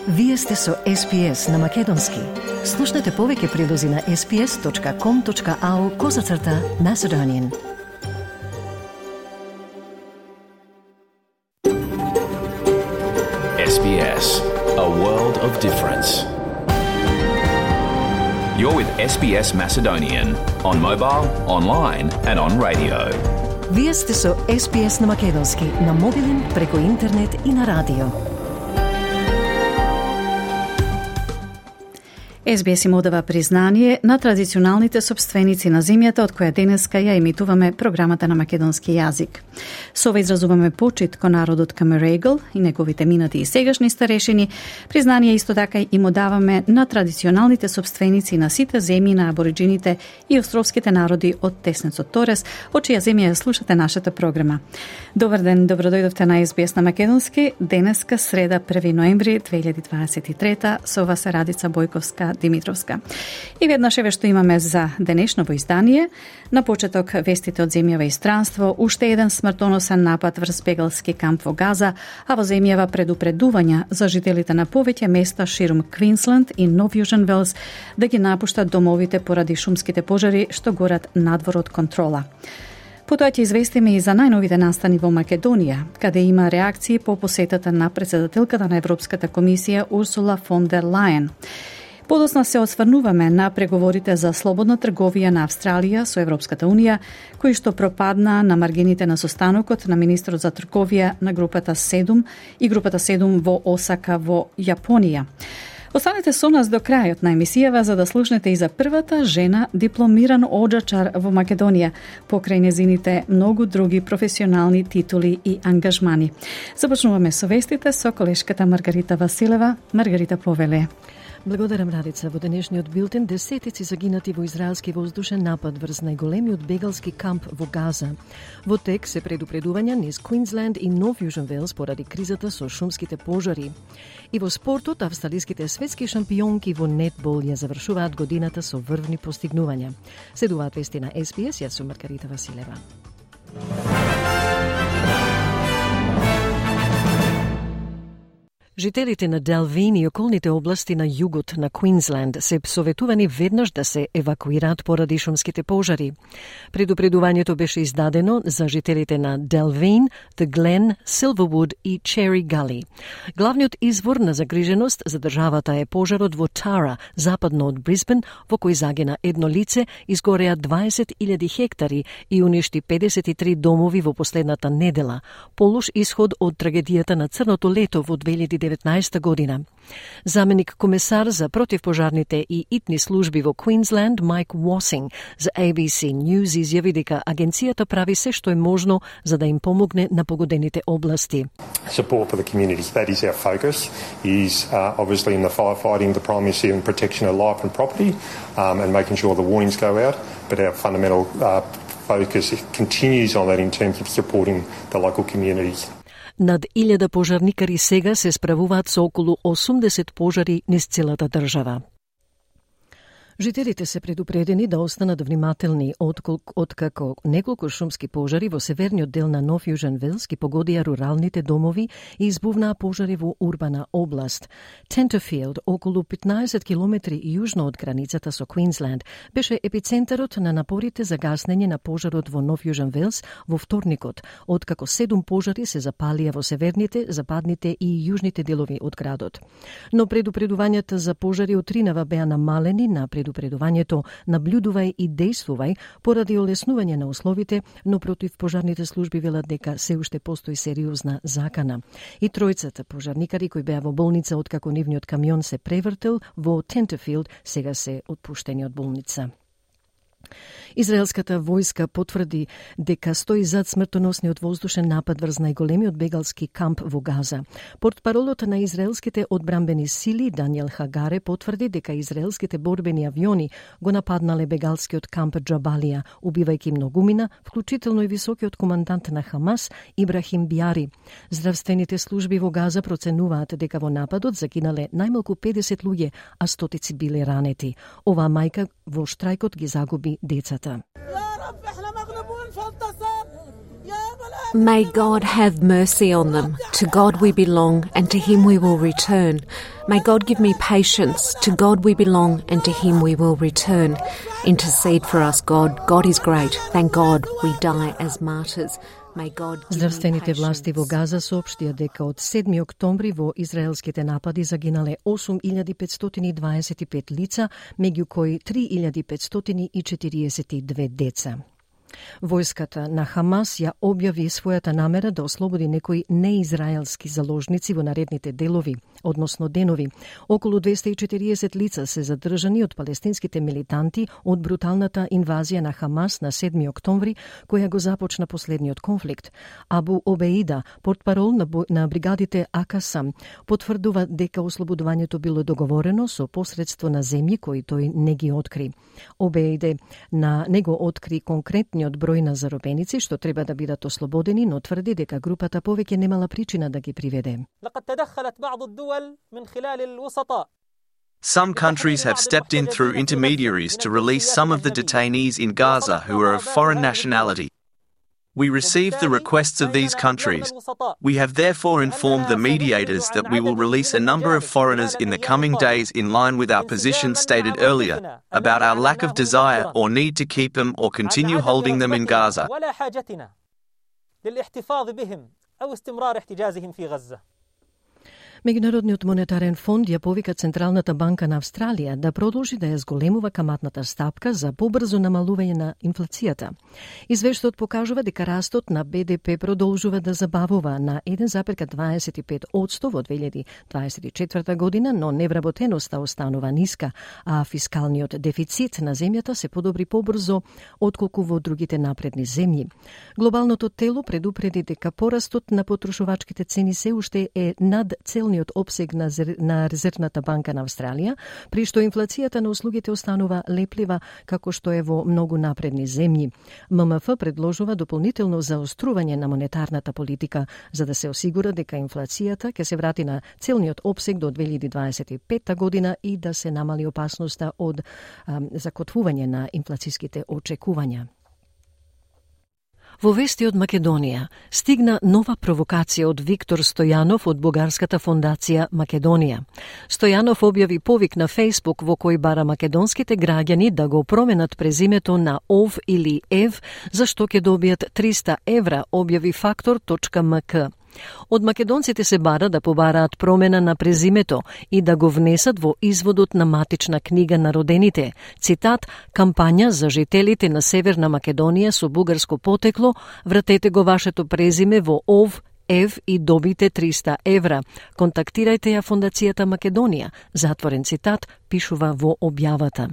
Вие сте со SPS на Македонски. Слушнете повеќе прилози на sps.com.au/Macedonian. SBS, a world of difference. You're with SBS Macedonian on mobile, online and on radio. Вие сте со SPS на Македонски на мобилен, преку интернет и на радио. SBS им одава признание на традиционалните собственици на земјата од која денеска ја емитуваме програмата на македонски јазик. Со ова изразуваме почит кон народот Камерегл и неговите минати и сегашни старешини. Признание исто така им одаваме на традиционалните собственици на сите земји на абориджините и островските народи од Теснецот Торес, од чија земја ја слушате нашата програма. Добар ден, добродојдовте на SBS на македонски. Денеска среда 1 ноември 2023 со вас е Радица Бојковска Димитровска. И веднаш еве што имаме за денешново издание. На почеток вестите од земјава и странство, уште еден смртоносен напад врз бегалски камп во Газа, а во земјава предупредувања за жителите на повеќе места ширум Квинсленд и Нов Јужен Велс да ги напуштат домовите поради шумските пожари што горат надвор од контрола. Потоа ќе известиме и за најновите настани во Македонија, каде има реакции по посетата на претседателката на Европската комисија Урсула фон дер Лајен. Подоцна се осврнуваме на преговорите за слободна трговија на Австралија со Европската Унија, кои што пропадна на маргините на состанокот на министрот за трговија на групата 7 и групата 7 во Осака во Јапонија. Останете со нас до крајот на емисијава за да слушнете и за првата жена дипломиран оджачар во Македонија, покрај незините многу други професионални титули и ангажмани. Започнуваме со вестите со колешката Маргарита Василева. Маргарита, повеле. Благодарам, Радица. Во денешниот билтен десетици загинати во израелски воздушен напад врз најголемиот бегалски камп во Газа. Во тек се предупредувања низ Квинсленд и Нов Јужен Велс поради кризата со шумските пожари. И во спортот, австралиските светски шампионки во нетбол ја завршуваат годината со врвни постигнувања. Следуваат вести на SBS, јас сум Маргарита Василева. Жителите на Делвин и околните области на југот на Квинсленд се советувани веднаш да се евакуираат поради шумските пожари. Предупредувањето беше издадено за жителите на Делвин, The Glen, Silverwood и Cherry Gully. Главниот извор на загриженост за државата е пожарот во Тара, западно од Брисбен, во кој загина едно лице, изгореа 20.000 хектари и уништи 53 домови во последната недела. Полош исход од трагедијата на црното лето во 2019 година. Заменик комесар за противпожарните и итни служби во Квинсленд Майк Уосинг за ABC News изјави дека агенцијата прави се што е можно за да им помогне на погодените области. Support for the community, that is our focus, is obviously in the firefighting, the primacy and protection of life and property, and making sure the warnings go out, but our fundamental focus continues on that in terms of supporting the local communities. Над 1000 пожарникари сега се справуваат со околу 80 пожари низ целата држава. Жителите се предупредени да останат внимателни откако неколку шумски пожари во северниот дел на Нов Јужен Велс ги погодија руралните домови и избувнаа пожари во урбана област. Tenterfield, околу 15 километри јужно од границата со Квинсленд, беше епицентарот на напорите за гаснење на пожарот во Нов Јужен Велс во вторникот, откако 7 пожари се запалија во северните, западните и јужните делови од градот. Но предупредувањата за пожари отринава беа намалени на предупредувањето наблюдувај и дејствувај поради олеснување на условите, но противпожарните служби велат дека се уште постои сериозна закана. И тројцата пожарникари кои беа во болница откако нивниот камион се превртел во Tenterfield сега се отпуштени од болница. Израелската војска потврди дека стои зад смртоносниот воздушен напад врз најголемиот бегалски камп во Газа. Портпаролот на израелските одбранбени сили Даниел Хагаре потврди дека израелските борбени авиони го нападнале бегалскиот камп Джабалија, убивајќи многумина, вклучително и високиот командант на Хамас Ибрахим Биари. Здравствените служби во Газа проценуваат дека во нападот загинале најмалку 50 луѓе, а стотици биле ранети. Оваа мајка во штрајкот ги загуби децата. May God have mercy on them. To God we belong, and to Him we will return. May God give me patience. To God we belong, and to Him we will return. Intercede for us, God. God is great. Thank God we die as martyrs. Здравствените власти во Газа соопштија дека од 7 октомври во израелските напади загинале 8525 лица, меѓу кои 3542 деца. Војската на Хамас ја објави својата намера да ослободи некои неизраелски заложници во наредните делови, односно денови. Околу 240 лица се задржани од палестинските милитанти од бруталната инвазија на Хамас на 7 октомври, која го започна последниот конфликт. Абу Обеида, портпарол на бригадите Акасам, потврдува дека ослободувањето било договорено со посредство на земји кои тој не ги откри. Обеиде на него откри конкретни од број на заробеници што треба да бидат ослободени, но тврди дека групата повеќе немала причина да ги приведе. Some countries have stepped in through intermediaries to release some of the detainees in Gaza who are of foreign nationality. We received the requests of these countries. We have therefore informed the mediators that we will release a number of foreigners in the coming days in line with our position stated earlier about our lack of desire or need to keep them or continue holding them in Gaza. Меѓународниот монетарен фонд ја повика Централната банка на Австралија да продолжи да ја зголемува каматната стапка за побрзо намалување на инфлацијата. Извештајот покажува дека растот на БДП продолжува да забавува на 1,25% во 2024 година, но невработеноста останува ниска, а фискалниот дефицит на земјата се подобри побрзо отколку во другите напредни земји. Глобалното тело предупреди дека порастот на потрошувачките цени се уште е над целниот обсег на Резервната банка на Австралија, при што инфлацијата на услугите останува леплива како што е во многу напредни земји. ММФ предложува дополнително заострување на монетарната политика за да се осигура дека инфлацијата ќе се врати на целниот обсег до 2025 година и да се намали опасноста од закотвување на инфлацијските очекувања. Во вести од Македонија стигна нова провокација од Виктор Стојанов од бугарската фондација Македонија. Стојанов објави повик на Фејсбук во кој бара македонските граѓани да го променат презимето на Ов или Ев, за што ќе добијат 300 евра, објави Factor.mk. Од македонците се бара да побараат промена на презимето и да го внесат во изводот на матична книга на родените. Цитат: кампања за жителите на Северна Македонија со бугарско потекло, вратете го вашето презиме во Ов, Ев и добите 300 евра. Контактирајте ја Фондацијата Македонија. Затворен цитат, пишува во објавата.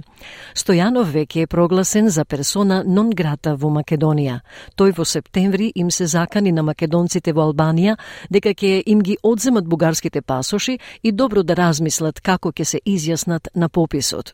Стојанов веќе е прогласен за персона нон грата во Македонија. Тој во септември им се закани на македонците во Албанија дека ќе им ги одземат бугарските пасоши и добро да размислат како ќе се изјаснат на пописот.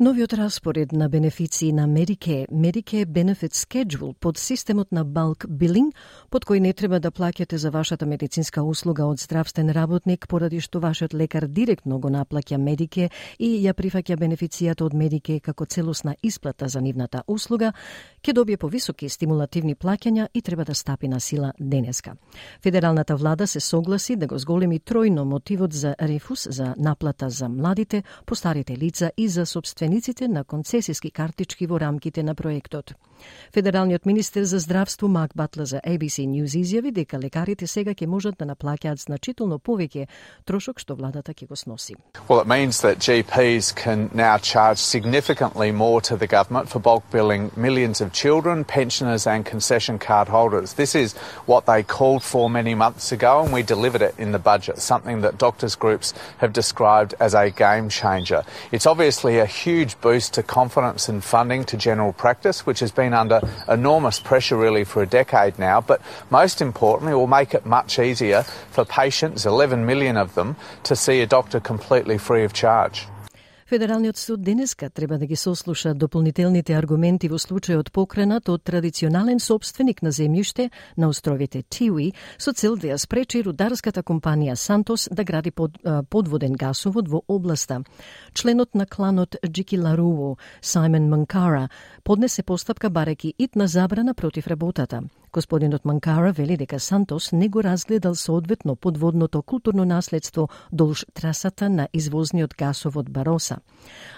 Новиот распоред на бенефиции на Medicare Benefit Schedule под системот на bulk billing, под кој не треба да плаќате за вашата медицинска услуга од здравствен работник, поради што вашиот лекар директно го наплаќа Medicare и ја прифаќа бенефицијата од Medicare како целосна исплата за нивната услуга, ќе добие повисоки стимулативни плаќања и треба да стапи на сила денеска. Федералната влада се согласи да го зголеми тројно мотивот за рефус за наплата за младите, постарите лица и за собствениците на концесиски картички во рамките на проектот. Федералниот министер за здравство Марк Батлер за ABC News изјави дека лекарите сега ќе можат да наплаќаат значително повеќе трошок што владата ќе го сноси. Well, it means that GPs can now charge significantly more to the government for bulk billing millions of children, pensioners and concession card holders. This is what they called for many months ago and we delivered it in the budget, something that doctors' groups have described as a game changer. It's obviously a huge boost to confidence and funding to general practice, which has been under enormous pressure really for a decade now, but most importantly will make it much easier for patients, 11 million of them, to see a doctor completely free of charge. Федералниот суд денеска треба да ги сослуша дополнителните аргументи во случајот покренат од традиционален собственик на земјиште на островите Тиуи со цел да ја спречи рударската компанија Сантос да гради подводен гасовод во областа. Членот на кланот Джикиларуу, Сајмон Манкара, поднесе постапка барајќи итна забрана против работата. Господинот Манкара вели дека Сантос не го разгледал соодветно подводното културно наследство долж трасата на извозниот гасовод Бароса.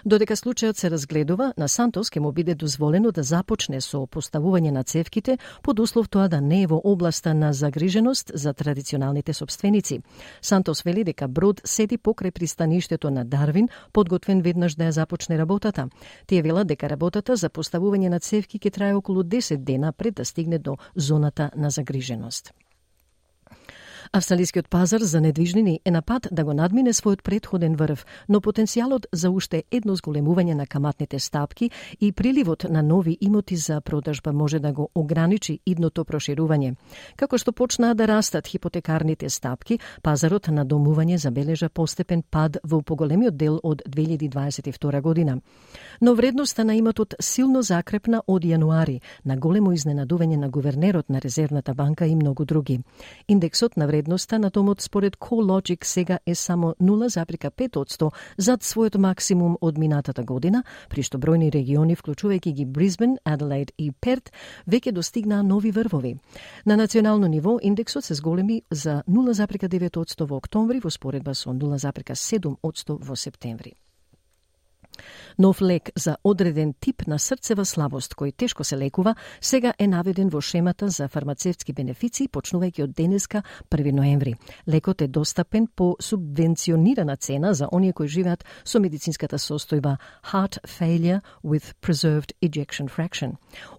Додека случајот се разгледува, на Сантос ќе му биде дозволено да започне со поставување на цевките под услов тоа да не е во областа на загриженост за традиционалните сопственици. Сантос вели дека брод седи покрај пристаништето на Дарвин, подготвен веднаш да ја започне работата. Тие велат дека работата за поставување на цевки ќе трае околу 10 дена пред да стигне до зоната на загриженост. Австралискиот пазар за недвижнини е на пат да го надмине својот претходен врв, но потенцијалот за уште едно зголемување на каматните стапки и приливот на нови имоти за продажба може да го ограничи идното проширување. Како што почнаа да растат хипотекарните стапки, пазарот на домување забележа постепен пад во поголемиот дел од 2022 година. Но вредноста на имотот силно закрепна од јануари, на големо изненадување на гувернерот на Резервната банка и многу други. Индексот на вредноста на домот според CoreLogic сега е само 0,5% зад својот максимум од минатата година, при што бројни региони, вклучувајќи ги Брисбен, Аделаид и Перт, веќе достигнаа нови врвови. На национално ниво индексот се зголеми за 0,9% во октомври во споредба со 0,7% во септември. Нов лек за одреден тип на срцева слабост, кој тешко се лекува, сега е наведен во шемата за фармацевтски бенефиции, почнувајќи од денеска 1 ноември. Лекот е достапен по субвенционирана цена за оние кои живеат со медицинската состојба Heart Failure with Preserved Ejection Fraction.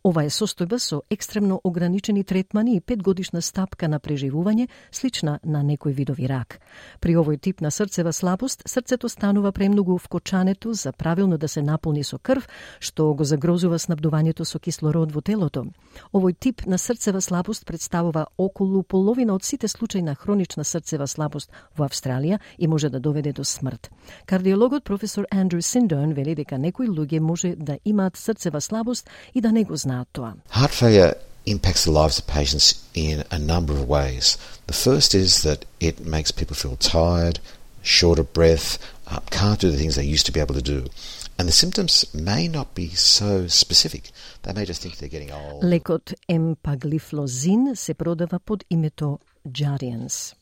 Ова е состојба со екстремно ограничени третмани и 5-годишна стапка на преживување, слична на некои видови рак. При овој тип на срцева слабост, срцето станува премногу вкочането за правилно да се наполни со крв, што го загрозува снабдувањето со кислород во телото. Овој тип на срцева слабост представува околу половина од сите случаи на хронична срцева слабост во Австралија и може да доведе до смрт. Кардиологот професор Андрю Sindone вели дека некои луѓе може да имаат срцева слабост и да не го знаат тоа. Heart failure impacts the lives of patients in a number of ways. The first is that it makes people feel tired, short of breath, can't do the things they used to be able to do. And the symptoms may not be so specific. They may just think they're getting old. Лекот емпаглифлозин се продава под името Jardiance.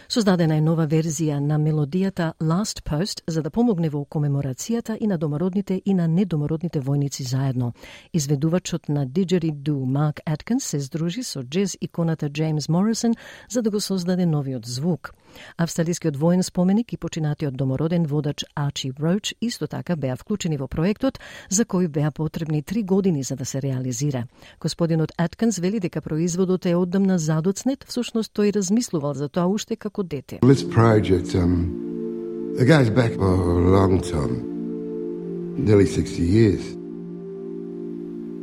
Создадена е нова верзија на мелодијата Last Post за да помогне во комеморацијата и на домородните и на недомородните војници заедно. Изведувачот на Didgeridoo Марк Аткинс се здружи со джез иконата Джеймс Морисон за да го создаде новиот звук. Австралискиот воен споменик и починатиот домороден водач Арчи Роуч исто така беа вклучени во проектот, за кој беа потребни 3 години за да се реализира. Господинот Аткинс вели дека производот е оддамна задоцнет, всушност тој размислувал за тоа уште како дете. This project it goes back a long time, nearly 60 years.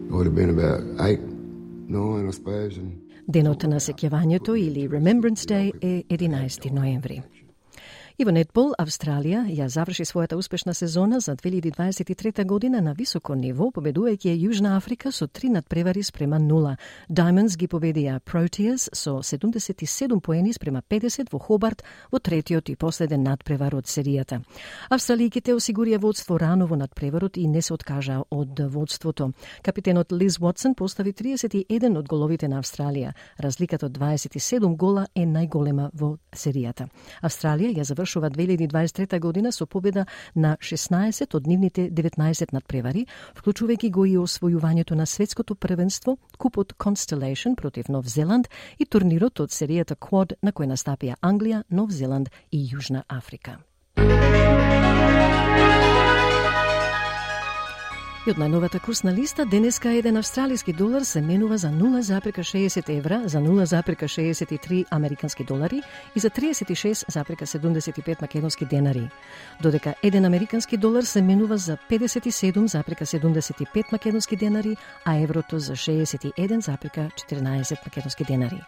It would have been about 8, 9, I suppose. Денот на сеќавањето или Remembrance Day е 11 ноември. И во нетбол, Австралија ја заврши својата успешна сезона за 2023 година на високо ниво, победувајќи Јужна Африка со 3 надпревари спрема 0. Diamonds ги победија Proteas со 77 поени спрема 50 во Хобарт во третиот и последен надпревар од серијата. Австралијките осигурија водство рано во надпреварот и не се откажа од водството. Капитенот Лиз Уотсон постави 31 од головите на Австралија. Разликата од 27 гола е најголема во серијата. Австралија ја завршува 2023 година со победа на 16 од нивните 19 надпревари, вклучувајќи го и освојувањето на светското првенство, купот Constellation против Нов Зеланд и турнирот од серијата Quad на кој настапија Англија, Нов Зеланд и Јужна Африка. И од најновата курсна листа, денеска еден австралиски долар се менува за 0,60 евра, за 0,63 американски долари и за 36,75 македонски денари. Додека еден американски долар се менува за 57,75 македонски денари, а еврото за 61,14 македонски денари.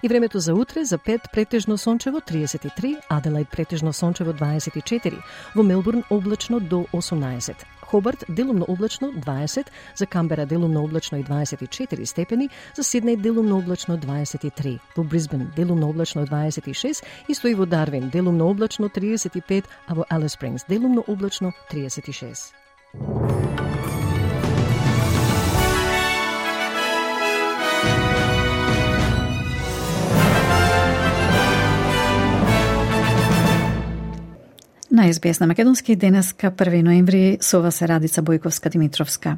И времето за утре, за Пет претежно сончево 33, Аделаид претежно сончево 24, во Мелбурн облачно до 18, Хобарт делумно облачно 20, за Камбера делумно облачно и 24 степени, за Сиднеј делумно облачно 23, во Брисбен делумно облачно 26, исто и во Дарвин делумно облачно 35, а во Алис Спрингс делумно облачно 36. На SBS на македонски денеска 1 ноември со вас е Радица Бојковска-Димитровска.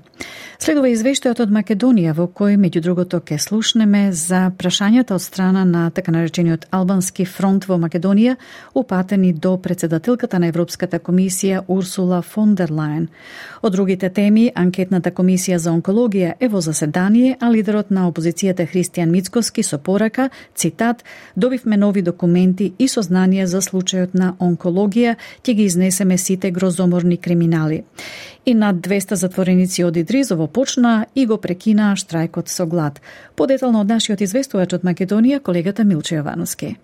Следува извештајот од Македонија во кој меѓу другото ке слушнеме за прашањата од страна на така наречениот Албански фронт во Македонија упатени до председателката на Европската комисија Урсула фон дер Лајен. Од другите теми, анкетната комисија за онкологија е во заседание, а лидерот на опозицијата Христијан Мицкоски со порака, цитат, добивме нови документи и сознанија за случајот на онкологија, ќе ги изнесеме сите грозоморни криминали. И над 200 затвореници од Идризово почна и го прекинаа штрајкот со глад. Подетално од нашиот известувач од Македонија, колегата Милче Јовановски.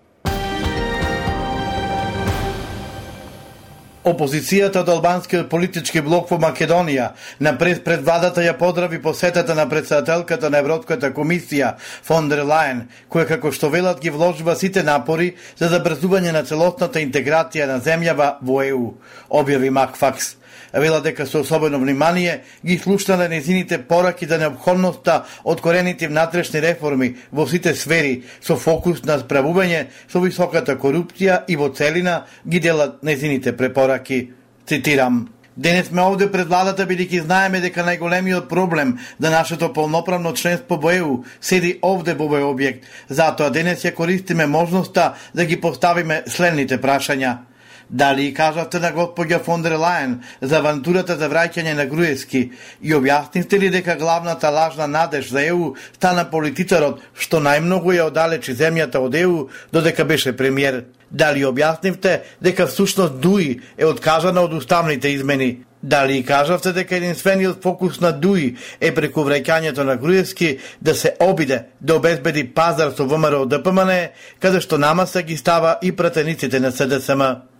Опозицијата од албанскиот политички блок во Македонија напред пред владата ја поздрави посетата на председателката на Европската комисија фон дер Лајен, која како што велат ги вложува сите напори за забрзување на целосната интеграција на земјава во ЕУ, објави Макфакс. Вела дека со особено внимание ги слушнале незините пораки за неопходноста од корените внатрешни реформи во сите сфери со фокус на справување со високата корупција и во целина ги делат незините препораки. Цитирам: денес сме овде пред владата бидејќи знаеме дека најголемиот проблем за нашето полноправно членство во ЕУ седи овде во овој објект. Затоа денес ја користиме можноста да ги поставиме следните прашања. Дали кажавте на господја фон дер Лајен за авантурата за враќање на Груевски и објаснивте ли дека главната лажна надеж за ЕУ стана политичарот што најмногу ја оддалечи земјата од ЕУ додека беше премиер? Дали објаснивте дека всушност ДУИ е откажана од уставните измени? Дали кажавте дека единствениот фокус на ДУИ е преку враќањето на Груевски да се обиде да обезбеди пазар со ВМРО ДПМН, каде што намаса ги става и пратениците на СДСМ?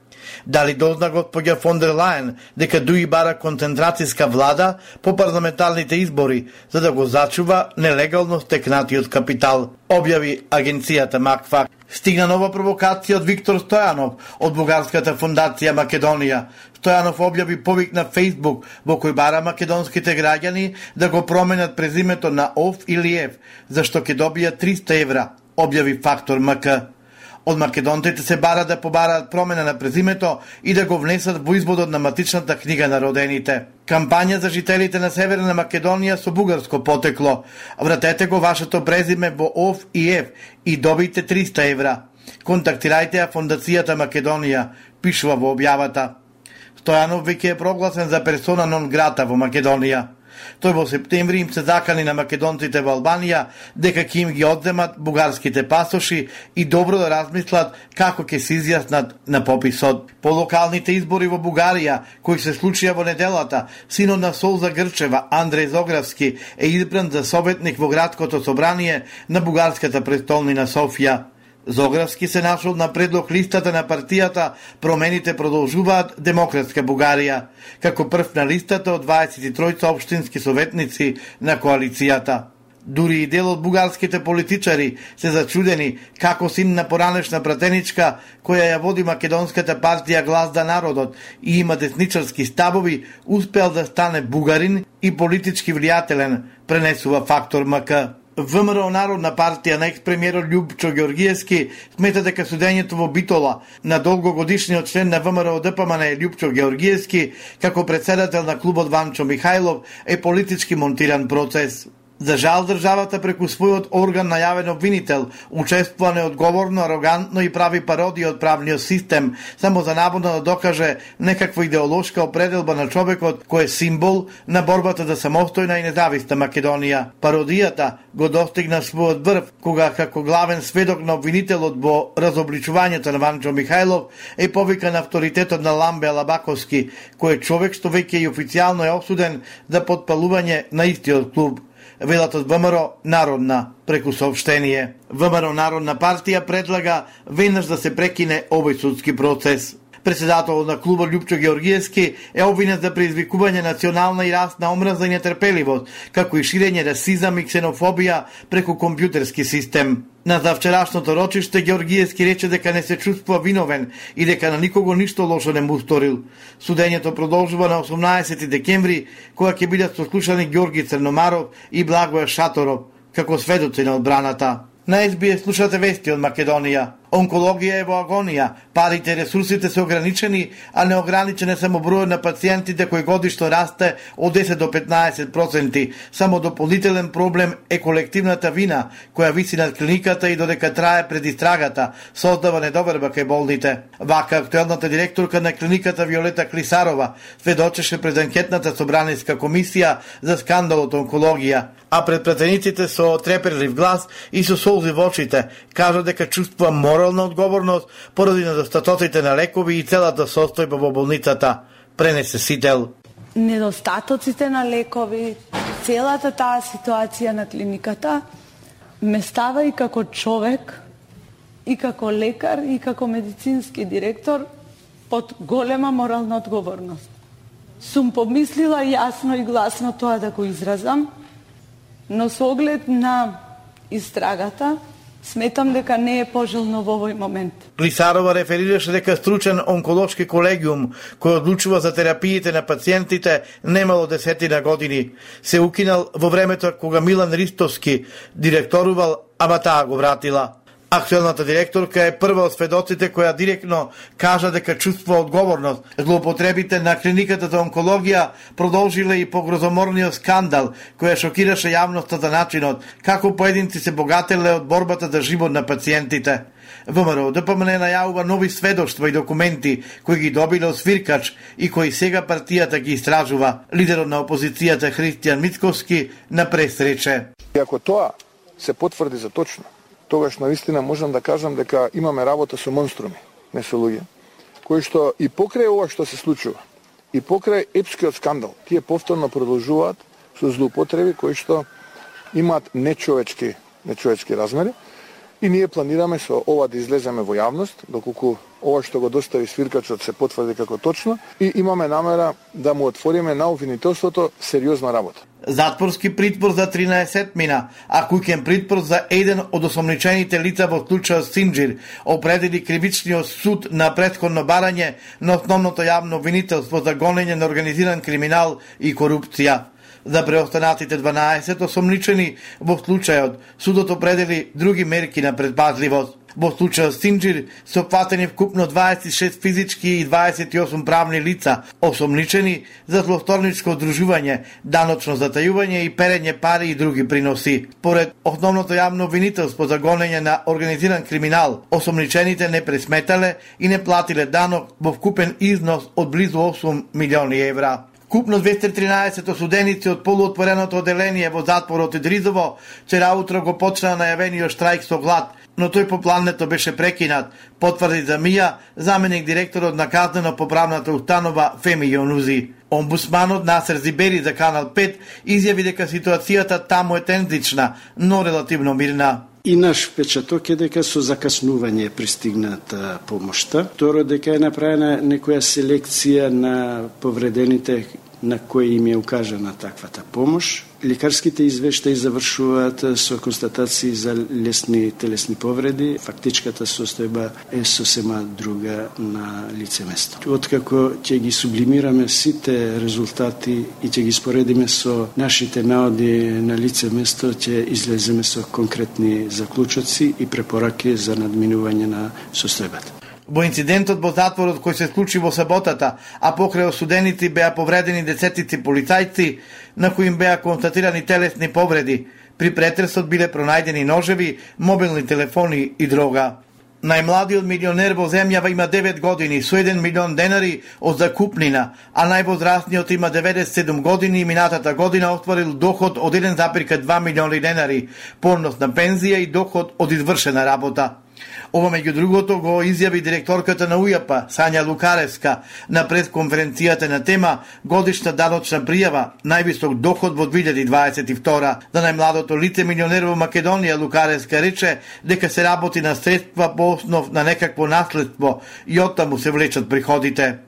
Дали дозна господја фон дер Лајен дека ДУИ бара концентрацијска влада по парламентарните избори за да го зачува нелегално стекнатиот капитал, објави агенцијата Макфак. Стигна нова провокација од Виктор Стојанов од Бугарската фондација Македонија. Стојанов објави повик на Фејсбук во кој бара македонските граѓани да го променат презимето на Ов или Ев, зашто ќе добијат 300 евра, објави Фактор МК. Од македонците се бара да побараат промена на презимето и да го внесат во изводот на матичната книга на родените. Кампања за жителите на Северна Македонија со бугарско потекло. Вратете го вашето презиме во Ов и Ев и добите 300 евра. Контактирајте ја Фондацијата Македонија, пишува во објавата. Стојанов веќе е прогласен за персона нон грата во Македонија. Тој во септември им се закани на македонците во Албанија дека ќе им ги одземат бугарските пасоши и добро да размислат како ќе се изјаснат на пописот. По локалните избори во Бугарија, кои се случија во неделата, синот на Солза Грчева, Андреј Зогравски, е избран за советник во градското собрание на бугарската престолнина Софија. Зогравски се нашол на предлог листата на партијата Промените продолжуваат Демократска Бугарија, како прв на листата од 23 општински советници на коалицијата. Дури и дел од бугарските политичари се зачудени како син на поранешна пратеничка која ја води македонската партија Глас за народот и има десничарски ставови, успеал да стане бугарин и политички влијателен, пренесува Фактор МК. ВМРО Народна партија на екс-премиерот Љупчо Ѓоргиевски смета дека судењето во Битола на долгогодишниот член на ВМРО ДПМН Љупчо Ѓоргиевски како председател на клубот Ванчо Михајлов е политички монтиран процес. За жал, државата преку својот орган на јавен обвинител учествува неодговорно, арогантно и прави пародија од правниот систем, само за наводно да докаже некаква идеолошка определба на човекот кој е символ на борбата за самостојна и независна Македонија. Пародијата го достигна својот врв, кога како главен сведок на обвинителот во разобличувањето на Ванчо Михајлов е повикан авторитетот на Ламбе Алабаковски, кој е човек што веќе и официјално е осуден за потпалување на истиот клуб. Велат од ВМРО Народна преку соопштение. ВМРО Народна партија предлага веднаш да се прекине овој судски процес. Председателот на клубот Љупчо Ѓоргиевски е обвинет за предизвикување национална и расна омраза и нетрпеливост, како и ширење расизам и ксенофобија преку компјутерски систем. На завчерашното рочиште Ѓоргиевски рече дека не се чувствува виновен и дека на никого ништо лошо не му сторил. Судењето продолжува на 18 декември, кога ќе бидат сослушани Ѓорги Црномаров и Благоја Шаторов, како сведоци на одбраната. На SBS слушате вести од Македонија. Онкологија е во агонија, парите и ресурсите се ограничени, а неограничен е само бројот на пациентите кој годишно расте од 10 до 15%. Само дополнителен проблем е колективната вина која виси над клиниката и додека трае предистрагата, создава недоверба кај болните. Вака актуелната директорка на клиниката Виолета Клисарова сведочеше пред анкетната собраниска комисија за скандалот онкологија, а пред пратениците со треперлив глас и со солзи во очите кажа дека чувствува морална одговорност поради недостатоците на лекови и целата состојба во болницата, пренесе Сител. Недостатоците на лекови, целата таа ситуација на клиниката ме става и како човек, и како лекар, и како медицински директор под голема морална одговорност. Сум помислила јасно и гласно тоа да го изразам, но со оглед на истрагата, сметам дека не е пожелно во овој момент. Клисарова реферираше дека стручен онколошки колегиум кој одлучува за терапиите на пациентите немало 10 години. Се укинал во времето кога Милан Ристовски директорувал, ама таа го вратила. Актуелната директорка е прва од сведоците која директно кажа дека чувствува одговорност. Злоупотребите на клиниката за онкологија продолжиле и по грозоморниот скандал која шокираше јавноста за начинот како поединци се богателе од борбата за живот на пациентите. ВМРО ДПМН најавува нови сведоштва и документи кои ги добиле од свиркач и кои сега партијата ги истражува. Лидерот на опозицијата Христијан Мицковски на пресрече. И ако тоа се потврди за точно, тогаш навистина можам да кажам дека имаме работа со монструми, не со луѓе, кои што и покрај ова што се случува, и покрај епскиот скандал, тие повторно продолжуваат со злоупотреби кои што имаат нечовечки размери, и ние планираме со ова да излеземе во јавност, доколку ова што го достави свиркачот се потврди како точно, и имаме намера да му отвориме на обвинителството сериозна работа. Затворски притвор за 13 мина, а куќен притвор за еден од осомничените лица во случајот Синџир, определи кривичниот суд на претходно барање на основното јавно обвинителство за гонење на организиран криминал и корупција. За преостанатите 12 осомничени во случајот, судот определи други мерки на предпазливост. Во случајот Синџир се опфатени вкупно 26 физички и 28 правни лица, осомничени за злосторничко одружување, даночно затајување и перење пари и други приноси. Поред основното јавно обвинителство за гонење на организиран криминал, осомничените не пресметале и не платиле данок во вкупен износ од близу 8 милиони евра. Купно 213 осуденици од полуотвореното оделение во затворот Идризово вчера утро го почна најавениот штрајк со глад, но тој по плането беше прекинат, потврди за МИА заменик директорот на казнено-поправната установа Феми Јонузи. Омбудсманот Насер Зибери за Канал 5 изјави дека ситуацијата таму е тензична, но релативно мирна. И наш впечаток е дека со закаснување пристигната помошта. Второ, дека е направена некоја селекција на повредените на кои им е укажана таквата помош. Лекарските извештаи завршуваат со констатации за лесни телесни повреди. Фактичката состојба е сосема друга на лице место. Откако ќе ги сублимираме сите резултати и ќе ги споредиме со нашите наоди на лице место, ќе излеземе со конкретни заклучоци и препораки за надминување на состојбата. Во инцидентот во затворот кој се случи во саботата, а покрај осуденици беа повредени десетици полицајци, на кои им беа констатирани телесни повреди. При претресот биле пронајдени ножеви, мобилни телефони и дрога. Најмладиот милионер во земјава има 9 години со 1 милион денари од закупнина, а највозрастниот има 97 години и минатата година остварил доход од 1,2 милиони денари, понос на пензија и доход од извршена работа. Ова меѓу другото го изјави директорката на УЈАП, Сања Лукаревска, на пресконференцијата на тема годишна даночна пријава, највисок доход во 2022. За најмладото лице милионер во Македонија, Лукаревска рече дека се работи на средства по основ на некакво наследство и оттаму се влечат приходите.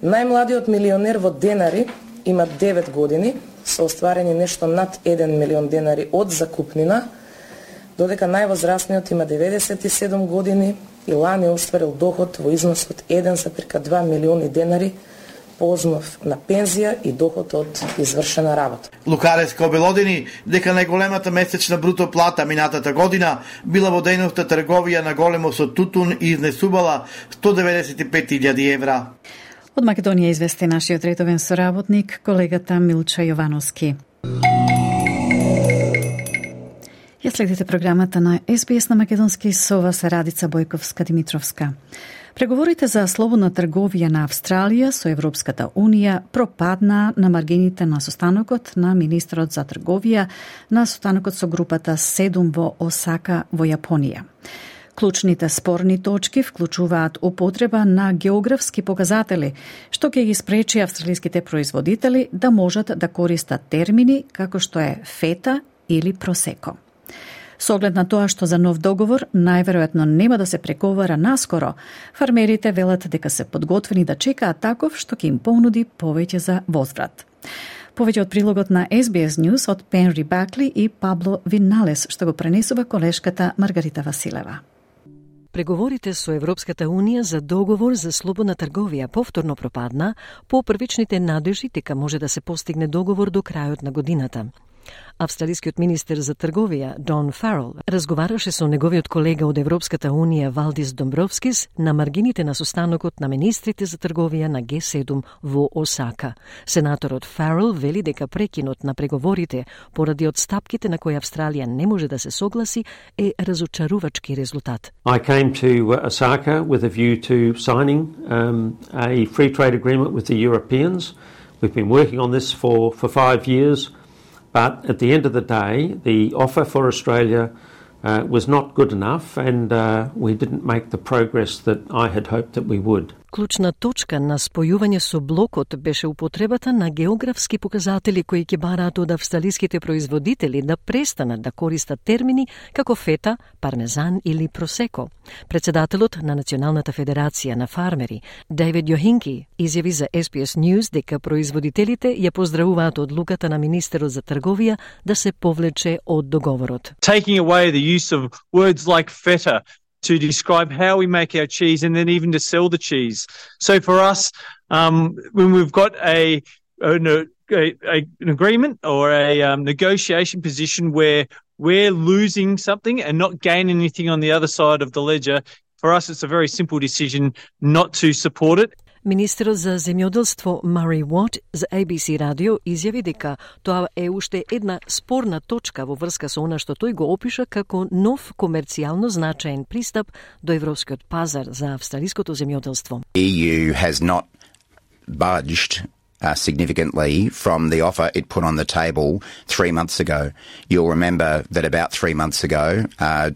Најмладиот милионер во денари има 9 години, се остварени нешто над 1 милион денари од закупнина, додека највозрастниот има 97 години и лани остварил доход во износ од 1,2 милиони денари по основ на пензија и доход од извршена работа. Лукареска обелодени дека најголемата месечна бруто плата минатата година била во дејноста трговија на големо со тутун и изнесувала 195.000 евра. Од Македонија извести нашиот редовен соработник, колегата Милча Јовановски. Ја следите програмата на СБС на македонски со вас Радица Бојковска-Димитровска. Преговорите за слободна трговија на Австралија со Европската Унија пропадна на маргините на состанокот на министерот за трговија на состанокот со групата 7 во Осака во Јапонија. Клучните спорни точки вклучуваат употреба на географски показатели, што ќе ги спречи австралиските производители да можат да користат термини како што е фета или просеко. Со оглед на тоа што за нов договор најверојатно нема да се преговара наскоро, фармерите велат дека се подготвени да чекаат таков што ќе им понуди повеќе за возврат. Повеќе од прилогот на SBS News од Пенри Бакли и Пабло Виналес, што го пренесува колешката Маргарита Василева. Преговорите со Европската Унија за договор за слободна трговија повторно пропадна по првичните надежи дека може да се постигне договор до крајот на годината. Австралискиот министер за трговија Дон Фарел разговараше со неговиот колега од Европската Унија Валдис Домбровскис на маргините на состанокот на министрите за трговија на Г7 во Осака. Сенаторот Фарел вели дека прекинот на преговорите поради отстапките на кои Австралија не може да се согласи е разочарувачки резултат. I came to Osaka with a view to signing a free trade agreement with the Europeans. We've been working on this for 5 years. But at the end of the day, the offer for Australia was not good enough, and we didn't make the progress that I had hoped that we would. Клучна точка на спојување со блокот беше употребата на географски показатели кои ќе бараат од австралиските производители да престанат да користат термини како фета, пармезан или просеко. Председателот на Националната федерација на фармери, Дейвид Јохинки, изјави за SBS News дека производителите ја поздравуваат одлуката на министерот за трговија да се повлече од договорот. Taking away the use of words like feta to describe how we make our cheese and then even to sell the cheese. So for us, when we've got an agreement or a negotiation position where we're losing something and not gaining anything on the other side of the ledger, for us it's a very simple decision not to support it. Министерот за земјоделство Мари Уот за ABC радио изјави дека тоа е уште една спорна точка во врска со она што тој го опиша како нов комерцијално значаен пристап до европскиот пазар за австралиското земјоделство. EU has not budged significantly from the offer it put on the table 3 months ago. You'll remember that about 3 months ago,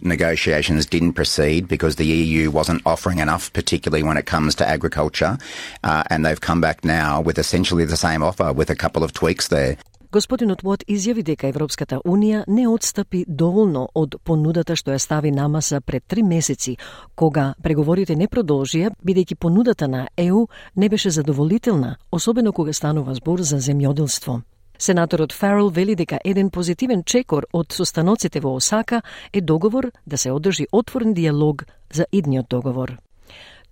negotiations didn't proceed because the EU wasn't offering enough, particularly when it comes to agriculture, and they've come back now with essentially the same offer with a couple of tweaks there. Господинот Уот изјави дека Европската Унија не отстапи доволно од понудата што ја стави на маса пред 3 месеци, кога преговорите не продолжија, бидејќи понудата на ЕУ не беше задоволителна, особено кога станува збор за земјоделство. Сенаторот Фарел вели дека еден позитивен чекор од состаноците во Осака е договор да се одржи отворен диалог за идниот договор.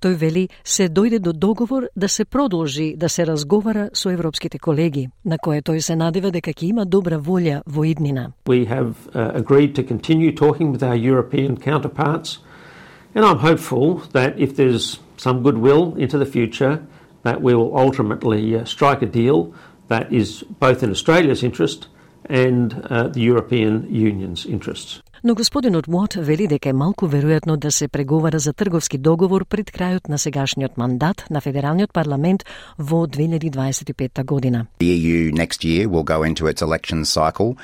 Тој вели се дојде до договор да се продолжи да се разговара со европските колеги, на кое тој се надева дека ќе има добра волја во иднина. We have agreed to continue talking with our European counterparts, and I'm hopeful that if there's some goodwill into the future, that we will ultimately strike a deal that is both in Australia's interest and the European Union's interests. Но господинот Уот вели дека е малку веројатно да се преговара за трговски договор пред крајот на сегашниот мандат на Федералниот парламент во 2025 година. The EU next year will go into its election cycle.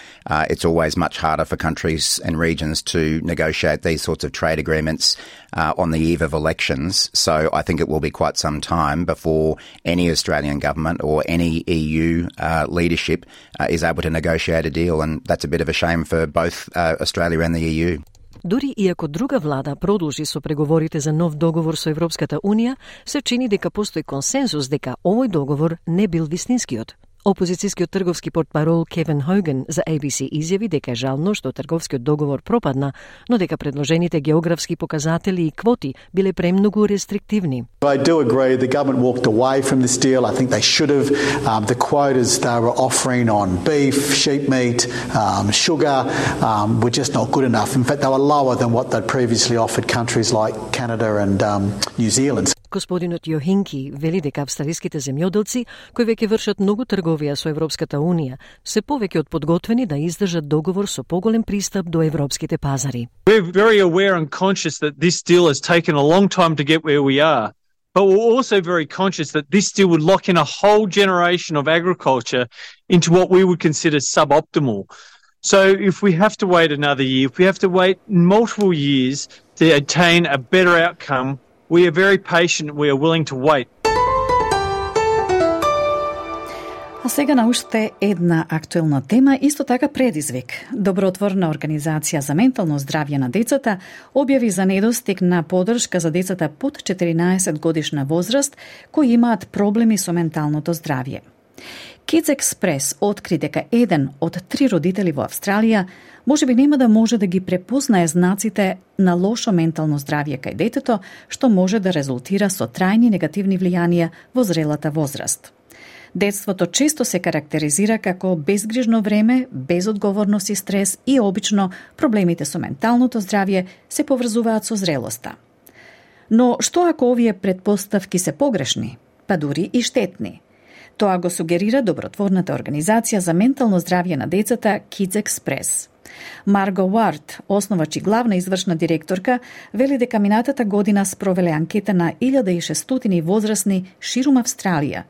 It's always much harder for countries and regions to negotiate these sorts of trade agreements on the eve of elections. So I think it will be quite some time before any Australian government or any EU leadership is able to negotiate a deal, and that's a bit of a shame for both Australia and the EU. Дури и ако друга влада продолжи со преговорите за нов договор со Европската Унија, се чини дека постои консензус дека овој договор не бил вистинскиот. Опозицијскиот трговски портпарол Кевин Хоген за ABC изјави дека е жално што трговскиот договор пропадна, но дека предложените географски показатели и квоти биле премногу рестриктивни. I do agree the government walked away from this deal. I think they should have. The quotas they were offering on beef, sheep meat, sugar were just not good enough. In fact, they were lower than what they'd previously offered countries like Canada and New Zealand. Господинот Јохинки вели дека австралиските земјоделци, кои веќе вршат многу трговија со Европската Унија, се повеќе од подготвени да издржат договор со поголем пристап до европските пазари. We're very aware and conscious that this deal has taken a long time to get where we are. But we're also very conscious that this deal would lock in a whole generation of agriculture into what we would consider suboptimal. So if we have to wait another year, if we have to wait multiple years to attain a better outcome, we are very patient, we are willing to wait. А сега на уште една актуелна тема, исто така предизвик. Добротворна организација за ментално здравје на децата објави за недостиг на поддршка за децата под 14 годишна возраст кои имаат проблеми со менталното здравје. Kids Express откри дека еден од 3 родители во Австралија можеби нема да може да ги препознае знаците на лошо ментално здравје кај детето, што може да резултира со трајни негативни влијанија во зрелата возраст. Детството често се карактеризира како безгрижно време, безодговорност и стрес и обично проблемите со менталното здравје се поврзуваат со зрелоста. Но што ако овие претпоставки се погрешни, па дури и штетни? Тоа го сугерира добротворната организација за ментално здравје на децата Kids Express. Марго Уарт, основач и главна извршна директорка, вели дека минатата година спровеле анкета на 1600 возрастни ширум Австралија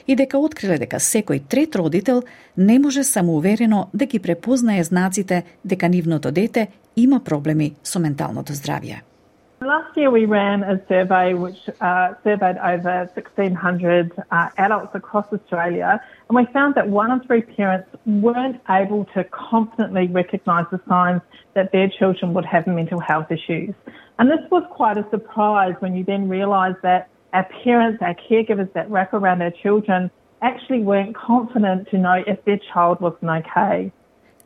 и дека откриле дека секој трет родител не може самоуверено да ги препознае знаците дека нивното дете има проблеми со менталното здравје. Last year we ran a survey which surveyed over 1,600 adults across Australia, and we found that 1 in 3 parents weren't able to confidently recognise the signs that their children would have mental health issues. And this was quite a surprise when you then realise that our parents, our caregivers that wrap around our children actually weren't confident to know if their child wasn't okay.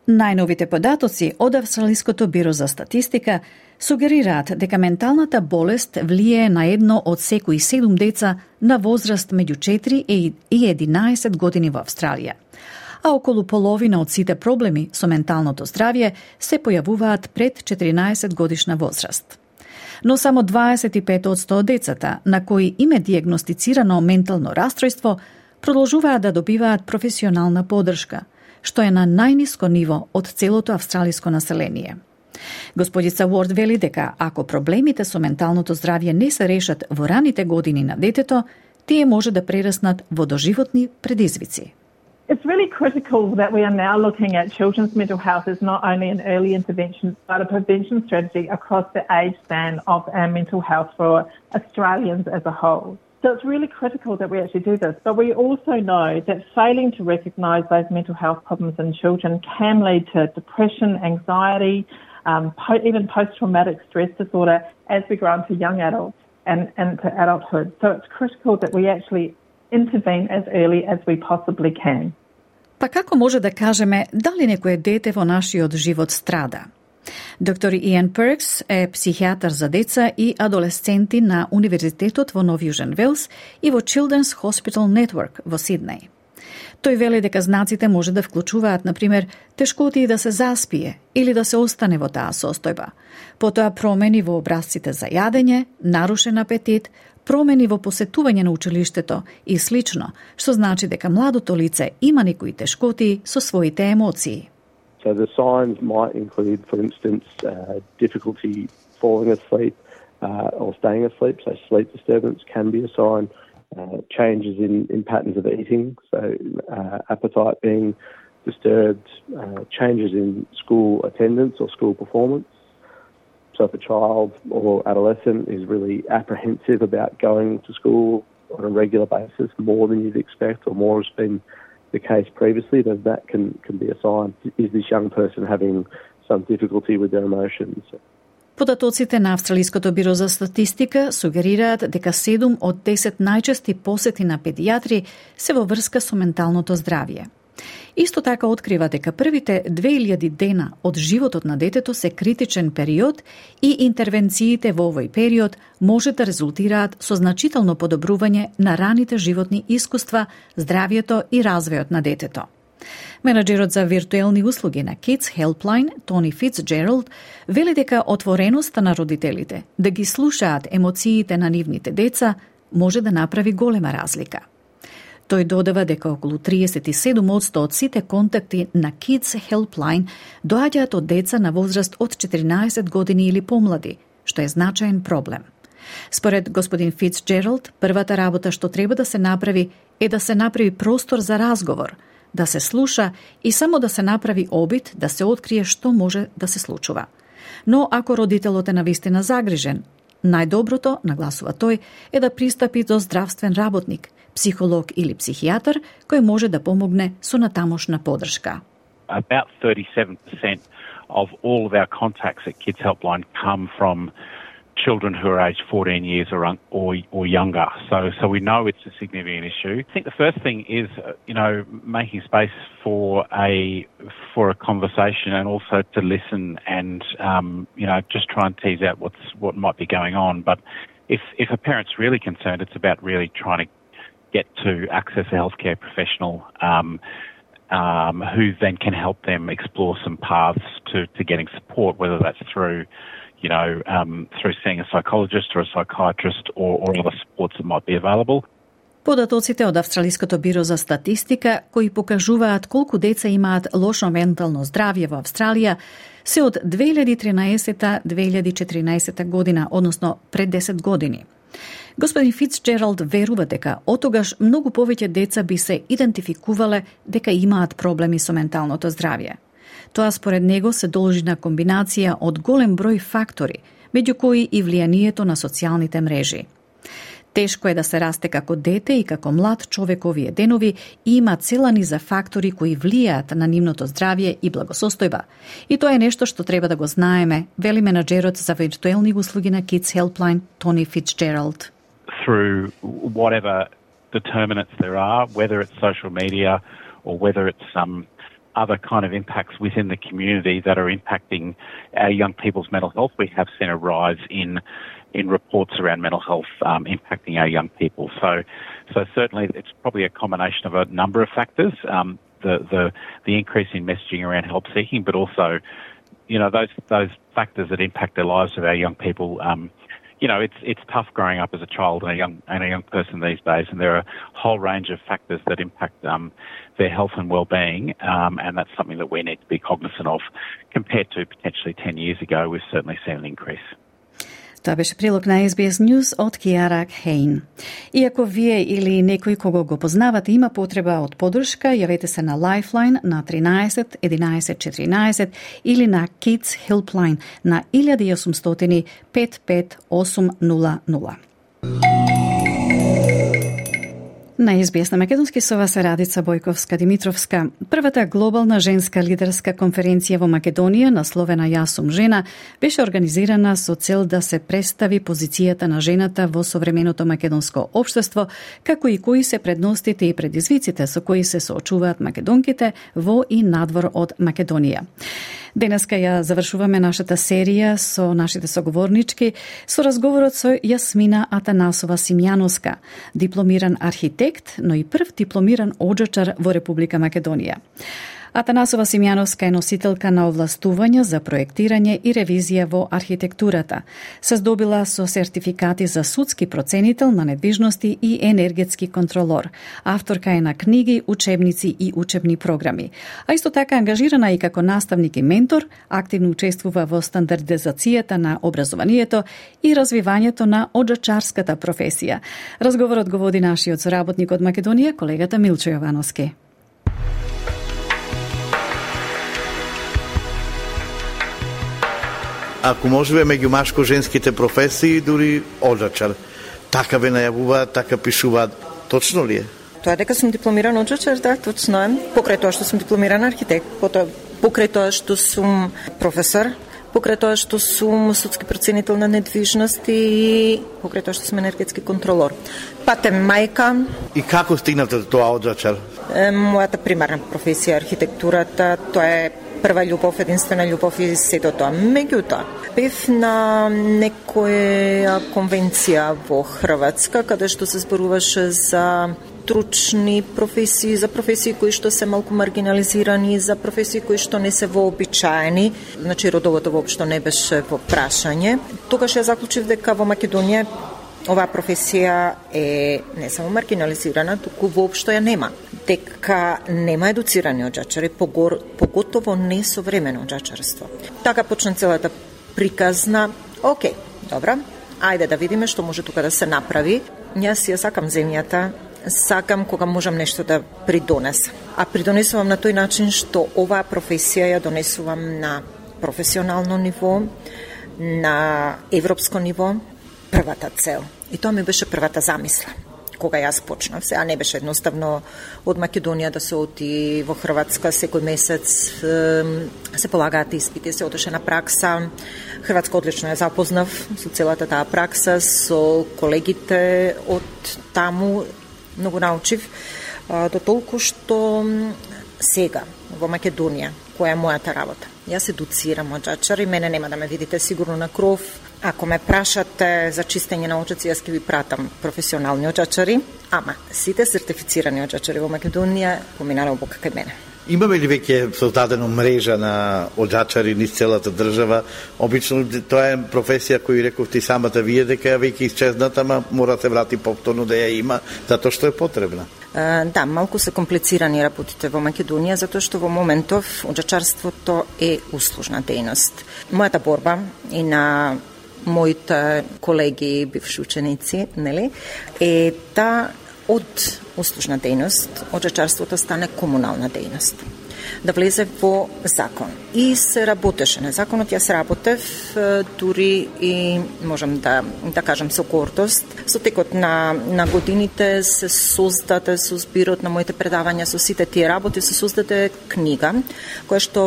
Најновите податоци од Австралиското биро за статистика сугерираат дека менталната болест влијае на едно од секои 7 деца на возраст меѓу 4 и 11 години во Австралија. А околу половина од сите проблеми со менталното здравје се појавуваат пред 14 годишна возраст. Но само 25% од децата на кои им е дијагностицирано ментално растројство продолжуваат да добиваат професионална поддршка, што е на најниско ниво од целото австралиско население. Господица Уорд вели дека ако проблемите со менталното здравје не се решат во раните години на детето, тие може да прераснат во доживотни предизвици. It's really critical that we are now looking at children's mental health as not only an early intervention but a prevention strategy across the age span of our mental health for Australians as a whole. So it's really critical that we actually do this. But we also know that failing to recognise those mental health problems in children can lead to depression, anxiety, even post-traumatic stress disorder as we grow into young adults and into adulthood. So it's critical that we actually intervene as early as we possibly can. Па како може да кажеме дали некое дете во нашиот живот страда? Доктор Иан Перкс е психијатар за деца и адолесценти на Универзитетот во Нов Јужен Велс и во Children's Hospital Network во Сиднеј. Тој вели дека знаците може да вклучуваат, например, тешкоти да се заспие или да се остане во таа состојба, потоа промени во образците за јадење, нарушен апетит, промени во посетување на училиштето и слично, што значи дека младото лице има некои тешкоти со своите емоции. So the signs might include, for instance, difficulty falling asleep or staying asleep. So sleep disturbance can be a sign. Changes in patterns of eating, so appetite being disturbed, changes in school attendance or school performance. So if a child or adolescent is really apprehensive about going to school on a regular basis, more than you'd expect or more has been the case previously, then that can be a sign. Is this young person having some difficulty with their emotions? Податоците на Австралиското биро за статистика сугерираат дека 7 од 10 најчести посети на педијатри се во врска со менталното здравје. Исто така открива дека првите 2000 дена од животот на детето се критичен период и интервенциите во овој период може да резултираат со значително подобрување на раните животни искуства, здравјето и развојот на детето. Менаџерот за виртуелни услуги на Kids Helpline, Тони Фицджералд, вели дека отвореноста на родителите да ги слушаат емоциите на нивните деца може да направи голема разлика. Тој додава дека околу 37% од сите контакти на Kids Helpline доаѓаат од деца на возраст од 14 години или помлади, што е значаен проблем. Според господин Фицджералд, првата работа што треба да се направи е да се направи простор за разговор, да се слуша и само да се направи обид да се открие што може да се случува. Но ако родителот е навистина загрижен, најдоброто, нагласува тој, е да пристапи до здравствен работник, психолог или психијатар, кој може да помогне со натамошна подршка. About 37% of all of our contacts at Kids Helpline come from children who are aged 14 years or younger. So we know it's a significant issue. I think the first thing is, making space for a conversation and also to listen and, just try and tease out what might be going on. But if a parent's really concerned, it's about really trying to get to access a healthcare professional who then can help them explore some paths to getting support, whether that's through seeing a psychologist or a psychiatrist or other supports that might be available. Податоците од Австралиското биро за статистика, кои покажуваат колку деца имаат лошо ментално здравје во Австралија, се од 2013-2014 година, односно пред 10 години. Господин Фицджералд верува дека отогаш многу повеќе деца би се идентификувале дека имаат проблеми со менталното здравје. Тоа според него се должи на комбинација од голем број фактори, меѓу кои и влијанието на социјалните мрежи. Тешко е да се расте како дете и како млад човек овие денови и има цела низа фактори кои влијаат на нивното здравје и благосостојба. И тоа е нешто што треба да го знаеме, вели менаџерот за виртуелни услуги на Kids Helpline, Тони Фицджералд. Through whatever determinants there are, whether it's social media or whether it's other kind of impacts within the community that are impacting our young people's mental health, we have seen a rise in reports around mental health impacting our young people. So certainly it's probably a combination of a number of factors, the increase in messaging around help seeking, but also, those factors that impact the lives of our young people. It's tough growing up as a child and a young person these days, and there are a whole range of factors that impact their health and well-being, and that's something that we need to be cognizant of. Compared to potentially 10 years ago, we've certainly seen an increase. Тоа беше прилог на SBS News од Киара Хейн. Иако вие или некој кого го познавате има потреба од подршка, јавете се на Lifeline на 13 11 14 или на Kids Helpline на 1800 55 800. На SBS на македонски со вас е Радица Бојковска-Димитровска. Првата глобална женска лидерска конференција во Македонија, насловена Јас сум жена, беше организирана со цел да се представи позицијата на жената во современото македонско општество, како и кои се предностите и предизвиците со кои се соочуваат македонките во и надвор од Македонија. Денеска ја завршуваме нашата серија со нашите соговорнички со разговорот со Јасмина Атанасова Симјановска, дипломиран архитект, но и прв дипломиран оджачар во Република Македонија. Атанасова Симјановска е носителка на овластување за проектирање и ревизија во архитектурата. Се здобила со сертификати за судски проценител на недвижности и енергетски контролор. Авторка е на книги, учебници и учебни програми. А исто така ангажирана и како наставник и ментор, активно учествува во стандардизацијата на образованието и развивањето на оджачарската професија. Разговорот го води нашиот соработник од Македонија, колегата Милчо Јовановски. Ако можеме меѓу машко-женските професии, дури оджачар. Така ве најавуваат, така пишуваат. Точно ли е? Тоа дека сум дипломиран оджачар, да, точно е. Покрај тоа што сум дипломиран архитект, покрај тоа што сум професор покрај тоа што сум судски проценител на недвижности и покрај тоа што сум енергетски контролор. Патем мајка. И како стигнате до тоа од Зачар? Мојата примарна професија е архитектурата, тоа е прва љубов, единствена љубов и сето тоа. Меѓутоа, бев на некоја конвенција во Хрватска, каде што се зборуваше за стручни професии, за професии кои што се малку маргинализирани, за професии кои што не се вообичаени, значи родовото воопшто не беше во прашање. Тогаш ја заклучив дека во Македонија оваа професија е не само маргинализирана, туку воопшто ја нема. Дека нема едуцирани оджачари, поготово не современо оджачарство. Така почна целата приказна. Океј, добра, ајде да видиме што може тука да се направи. Јас ја сакам земјата, сакам кога можам нешто да придонесам. А придонесувам на тој начин што оваа професија ја донесувам на професионално ниво, на европско ниво, првата цел. И тоа ми беше првата замисла кога јас почнав. Сега не беше едноставно од Македонија да се оти во Хрватска секој месец, се полагаат испити, се одеше на пракса. Хрватска одлично ја запознав со целата таа пракса, со колегите од таму, многу научив, до толку што сега во Македонија, која е мојата работа. Јас едуцирам оджачари, мене нема да ме видите сигурно на кров. Ако ме прашате за чистење на оджаци, јас ќе ви пратам професионални оджачари, ама сите сертифицирани оджачари во Македонија поминале обука кај мене. Имаме ли веќе создадено мрежа на оджачари низ целата држава? Обично тоа е професија која рековте самата вие дека ја веќе исчезната, ама мора да се врати повторно да ја има, затоа што е потребна. Да, малку се комплицирани работите во Македонија, затоа што во моментов оджачарството е услужна дејност. Мојата борба и на моите колеги, бивши ученици, нели, е да од услужна дејност оджачарството стане комунална дејност. Да влезе во закон. И се работеше на законот, јас работев дури и можам да кажам со гордост. Со текот на годините се создаде со збирот на моите предавања, со сите тие работи се создаде книга која што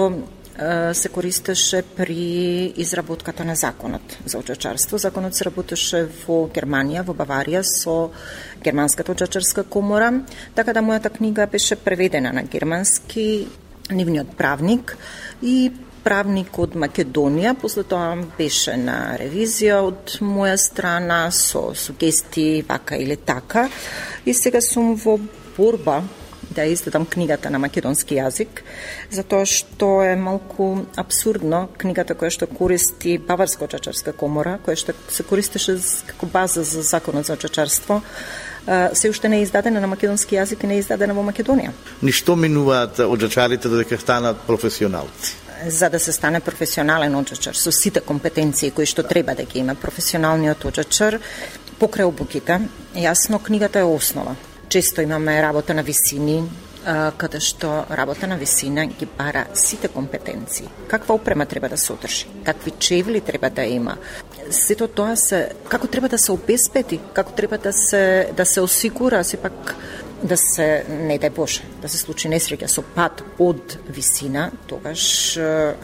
се користеше при изработката на законот за оджачарство. Законот се работеше во Германија, во Баварија, со Германската оджачарска комора, така да мојата книга беше преведена на германски, нивниот правник и правник од Македонија. После тоа беше на ревизија од моја страна со сугестии вака или така. И сега сум во борба да издадам книгата на македонски јазик, затоа што е малку абсурдно книгата која што користи Баварска оджачарска комора, која што се користеше како база за законот за оджачарство, се уште не е издадена на македонски јазик и не е издадена во Македонија. Ништо минуваат оджачарите додека станат професионалци? За да се стане професионален оджачар со сите компетенции кои што треба да ги има професионалниот оджачар, покрај обуките, јасно книгата е основа. Често имаме работа на висини, каде што работа на висина ги бара сите компетенции. Каква опрема треба да се одржи, какви чевли треба да има. Сето тоа како треба да се обезбеди, како треба да се осигура, сепак да се, не дај Боже, да се случи несреќа со пат од висина, тогаш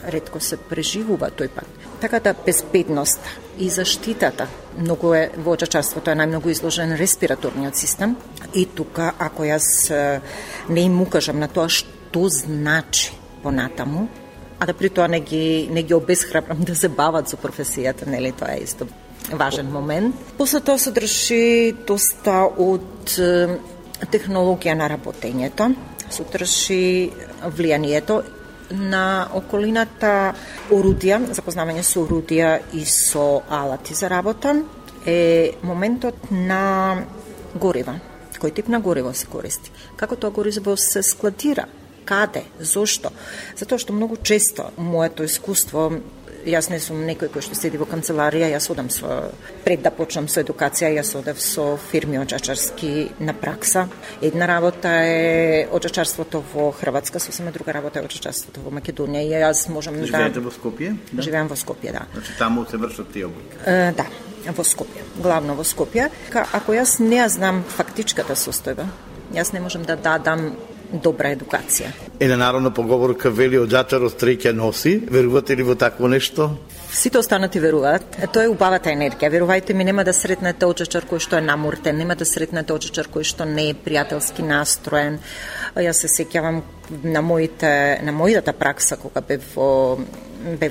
ретко се преживува тој пат. Така да безбедност и заштитата многу е во оджачарството, е најмногу изложен респираторниот систем и тука ако јас не им укажам на тоа што значи понатаму, а да при тоа не ги обесхрабрам да се бават со професијата, нели, тоа е исто важен момент. После тоа се држи доста од технологија на работењето, се држи влијанието на околината, орудија, запознавање со орудија и со алати за работа, е моментот на горива. Кој тип на гориво се користи? Како тоа гориво се складира? Каде? Зошто? Затоа што многу често моето искуство, јас не сум некој кој што седи во канцеларија, јас одам пред да почнам со едукација, јас одев со фирми оджачарски на пракса. Една работа е оджачарството во Хрватска, сосема друга работа е оджачарството во Македонија. И јас можам да... Живеете во Скопје? Да. Живеам во Скопје, да. Значи таму се вршат тие обуки? Да, во Скопје, главно во Скопје. Ако јас не ја знам фактичката состојба, јас не можам да дадам добра едукација. Една народна поговорка вели од џачар од стреќа носи. Верувате ли во такво нешто? Сите останати веруваат. Тоа е убавата енергија. Верувајте ми, нема да сретнете очачар кој што е намуртен, нема да сретнете очачар кој што не е пријателски настроен. Јас се сеќавам на мојата пракса кога бев во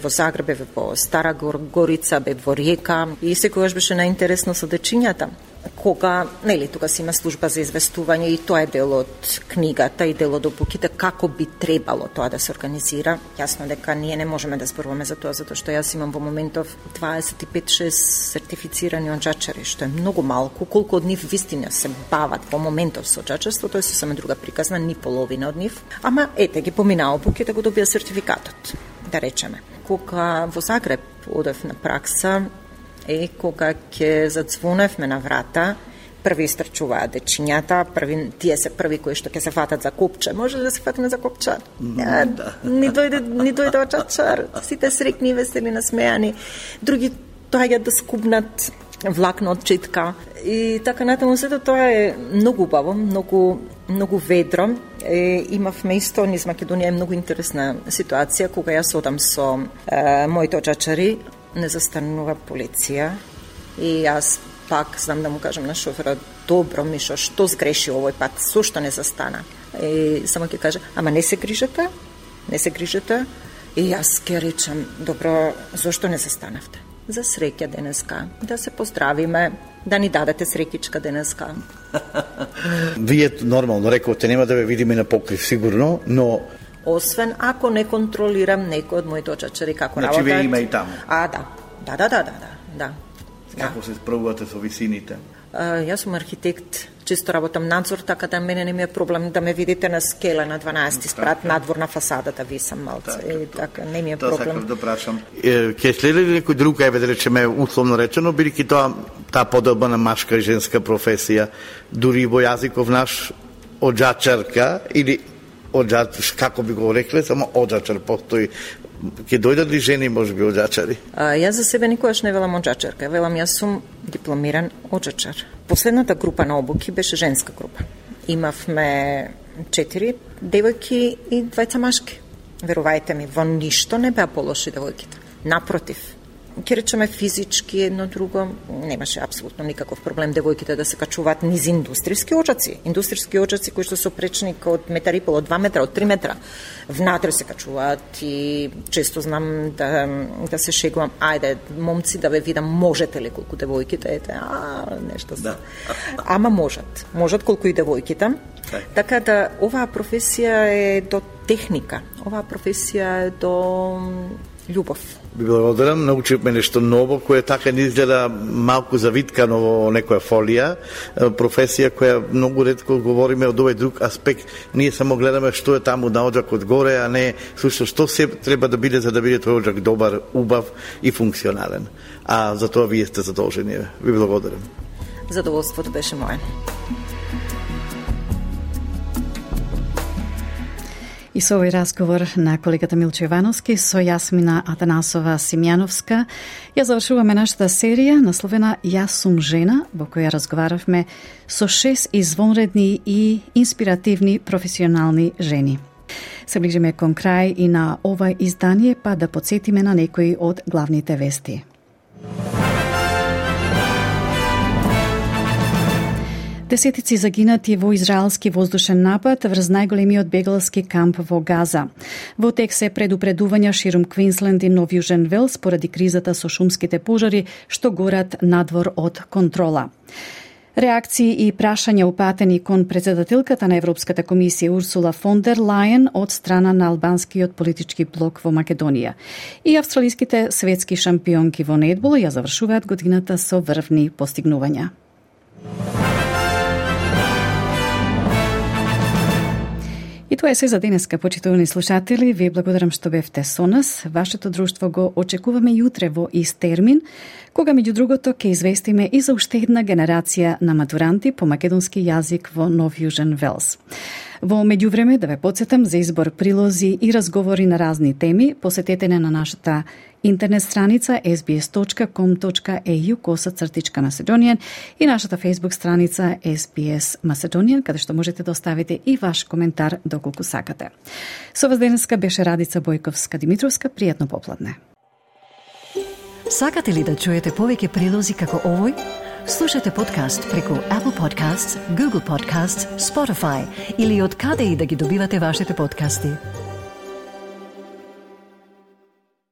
Загреб, бев во Стара Горица, бев во Риека и секогаш беше најинтересно со дечињата. Кога, тука си има служба за известување и тоа е дел од книгата и дел од опуките како би требало тоа да се организира. Јасно дека ние не можеме да зборуваме за тоа, затоа што јас имам во моментов 25-6 сертифицирани онџачари, што е многу малку. Колку од нив вистина се бават во моментов со онџачарство, тоа е сосема друга приказна, ни половина од нив. Ама ги поминаа опуките, го добија сертификатот, да речеме. Кога во Загреб одев на пракса, кога ќе зацвоневме на врата, први истрчуваат дечињата, тие се први кои што ќе се фатат за копче. Може да се фатиме за копче? Ни дојде очачар, сите срекни, весели, насмејани. Други доаѓаат да скубнат влакно од читка. И така натаму сето тоа е многу убаво, многу ведро. Имавме исто низ Македонија многу интересна ситуација кога јас одам со моите очачари, не застанува полиција и јас пак знам да му кажам на шоферот: добро, Мишо, што сгреши овој пат, зошто не застана? И само ќе каже: ама не се грижете. И јас ќе речам: добро, зошто не застанавте? За среќа денеска, да се поздравиме, да ни дадете среќичка денеска. Вие нормално рековте, нема да ве видиме на покрив сигурно, но освен ако не контролирам некој од моите очачари како работат. Значи вие има и таму. Да. Како се справувате со висините? Јас сум архитект, често работам надзор, така да мене не ми е проблем да ме видите на скела на 12 спрат надвор на фасадата, висам малце. Така не ми е проблем. Тоа сакам да прашам. Ќе следи ли некој друг, да речеме условно речено, бидејќи таа поделба на машка и женска професија, дури во јазиков наш оџачарка или како би го рекле, само оџачар постои. Ќе дојдат ли жени, можеби, оџачари? Јас за себе никогаш не велам оџачарка. Велам, јас сум дипломиран оџачар. Последната група на обуки беше женска група. Имавме 4 девојки и 2 машки. Верувајте ми, во ништо не беа полоши девојките. Напротив, ќе речеме физички едно друго, немаше апсолутно никаков проблем девојките да се качуваат низ индустријски оџаци кои што се опречни од метар и пол, од 2 метра, од 3 метра. Внатре се качуваат и често знам да се шегувам: ајде, момци, да ве видам, можете ли колку девојките, нешто. Да. Ама можат колку и девојките. Така да оваа професија е до техника, оваа професија е до љубов. Ви благодарам, научивме нешто ново, кое така не изгледа малку завиткано во некоја фолија, професија која многу ретко говориме од овој друг аспект. Ние само гледаме што е таму на оџакот горе, а не сушто што се треба да биде за да биде тој оџак добар, убав и функционален. А за тоа вие сте задолжени. Ви благодарам. Задоволството беше мое. И со овој разговор на колегата Милчо Ивановски со Јасмина Атанасова Симјановска ја завршуваме нашата серија насловена Јас сум жена, во која разговаравме со 6 извонредни и инспиративни професионални жени. Се ближиме кон крај и на ова издание, па да подсетиме на некои од главните вести. Десетици загинати во израелски воздушен напад врз најголемиот бегалски камп во Газа. Во тек се предупредувања ширум Квинсленд и Нов Јужен Велс поради кризата со шумските пожари што горат надвор од контрола. Реакции и прашања упатени кон председателката на Европската комисија Урсула фон дер Лајен од страна на албанскиот политички блок во Македонија. И австралиските светски шампионки во нетбол ја завршуваат годината со врвни постигнувања. И тоа е се за денеска, почитувани слушатели. Ви благодарам што бевте со нас. Вашето друштво го очекуваме јутре во ист термин, кога меѓу другото ќе известиме и за уште една генерација на матуранти по македонски јазик во Нов Јужен Велс. Во меѓувреме, да ве подсетам за избор прилози и разговори на разни теми, посетете на нашата интернет страница sbs.com.au/Macedonian и нашата Facebook страница SBS Macedonian, каде што можете да оставите и ваш коментар доколку сакате. Со вас денеска беше Радица Бојковска-Димитровска. Пријатно попладне. Сакате ли да чуете повеќе прилози како овој? Слушате подкаст преку Apple Podcasts, Google Podcasts, Spotify или од каде и да ги добивате вашите подкасти.